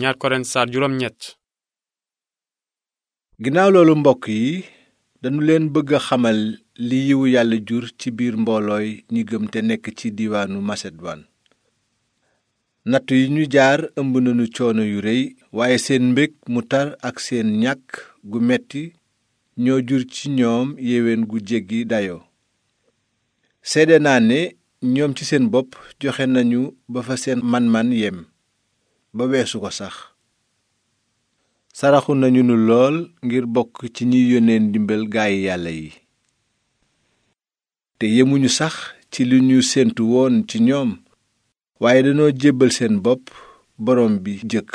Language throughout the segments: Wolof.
ñaar Korent saar juróom ñett. ginnaaw loolu mbokk yi dañu leen bëgg a xamal li yiwu yàlla jur ci biir mboolooy ñi gëm te nekk ci diiwaanu maseduwaan. nattu yi ñu jaar ëmb nañu coono yu rëy, waaye seen mbég mu tar ak seen ñàkk gu metti ñoo jur ci ñoom yéwén gu jéggi dayoo. seede naa ne ñoom ci seen bopp joxe nañu ba fa seen man-man yem, ba weesu ko sax. saraxu nañu nu lool ngir bokk ci ñiy yónnee ndimbal gaayi yàlla yi. te yemuñu sax ci li ñu séentu woon ci ñoom, waaye dañoo jébbal seen bopp borom bi jëkk.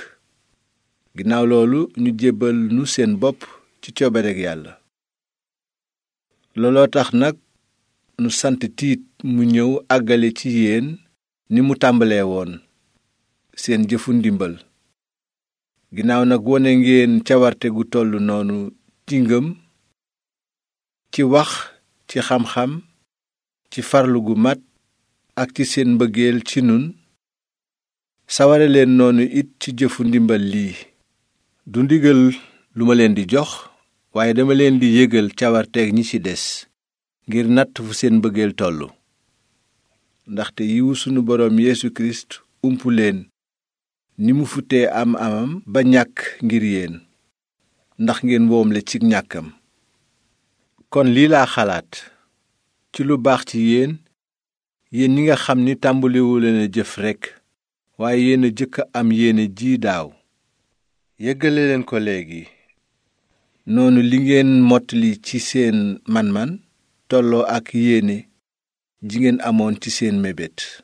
ginnaaw loolu ñu jébbal nu seen bopp ci coobareg yàlla. looloo tax nag nu sant Tiit mu ñëw àggale ci yéen ni mu tàmbalee woon seen jëfu ndimbal. ginnaaw nag wone ngeen cawarte gu tollu noonu ci ngëm, ci wax, ci xam-xam, ci farlu gu mat ak ci seen mbëggeel ci nun. saware leen noonu it ci jëfu ndimbal lii. du ndigal lu ma leen di jox, waaye dama leen di yëgal cawarteeg ñi ci des, ngir natt fu seen mbëggeel tollu. ndaxte yiwu sunu boroom Yeesu Kirist umpu leen ni mu futee am amam ba ñàkk ngir yéen, ndax ngeen woomle ci ñàkkam. kon lii laa xalaat ci lu baax ci yéen ñi nga xam ni tàmbaliwu leen a jëf rekk, waaye yéen a jëkk a am yéene ji daaw. yëggale leen ko léegi. noonu li ngeen mottali ci seen man-man tolloo ak yéene ji ngeen amoon ci seen mébét.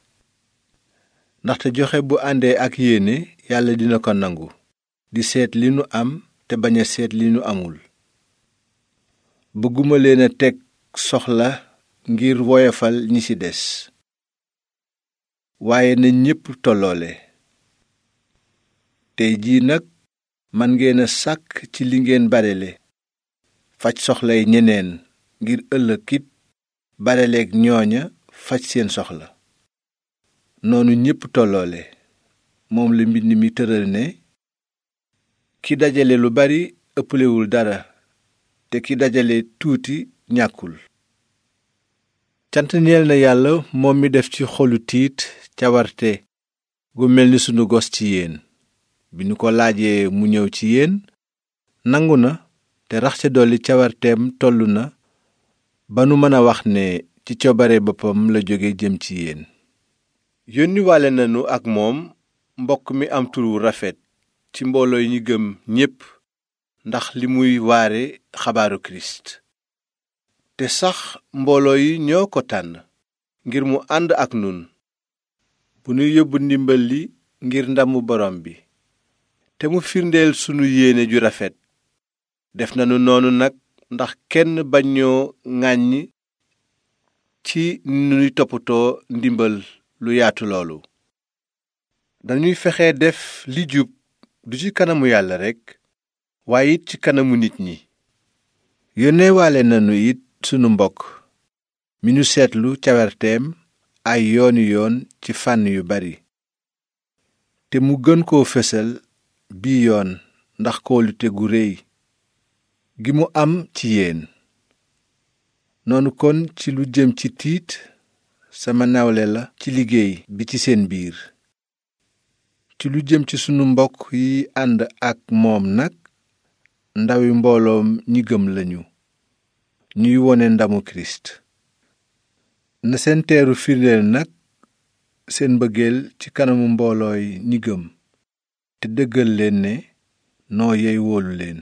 ndaxte joxe bu àndee ak yéene yàlla dina ko nangu, di seet li nu am te bañ a seet li nu amul. bëgguma leen a teg soxla ngir woyofal ñi ci des, waaye na ñépp tolloole. tey jii nag man ngeen a sàkk ci li ngeen barele, faj soxlay ñeneen ngir ëllëg it bareleek ñooña faj seen soxla. noonu ñépp tolloole. moom la mbind mi tëral ne, ki dajale lu bari ëpplewul dara, te ki dajale tuuti ñàkkul. cant ñeel na yàlla moom mi def ci xolu Tiit cawarte gu mel ni sunu gos ci yéen. bi nu ko laajee mu ñëw ci yéen, nangu na, te rax ca dolli cawarteem tollu na ba nu mën a wax ne ci coobare boppam la jóge jëm ci yéen. yónniwaale nanu ak moom mbokk mi am tur wu rafet ci mbooloo yi ñi gëm ñépp, ndax li muy waare xabaaru Kirist. te sax mbooloo yi ñoo ko tànn ngir mu ànd ak nun bu nu yóbbu ndimbal li ngir ndamu borom bi. te mu firndeel sunu yéene ju rafet. def nanu noonu nag ndax kenn bañ ñoo ŋàññ ci ni nuy toppatoo ndimbal lu yaatu loolu. dañuy fexe def li jub, du ci kanamu yàlla rekk, waaye it ci kanamu nit ñi. yónneewaale nanu it sunu mbokk mi nu seetlu cawarteem ay yooni yoon ci fànn yu bari, te mu gën koo fesal bii yoon ndax kóolute gu réy gi mu am ci yéen. noonu kon ci lu jëm ci Tiit, sama nawle la ci liggéey bi ci seen biir. ci lu jëm ci sunu mbokk yi ànd ak moom nag, ndawi mbooloom ñi gëm lañu, ñuy wone ndamu Kirist. na seen teeru firndeel nag seen mbëggeel ci kanamu mboolooy ñi gëm, te dëggal leen ne noo yey wóolu leen.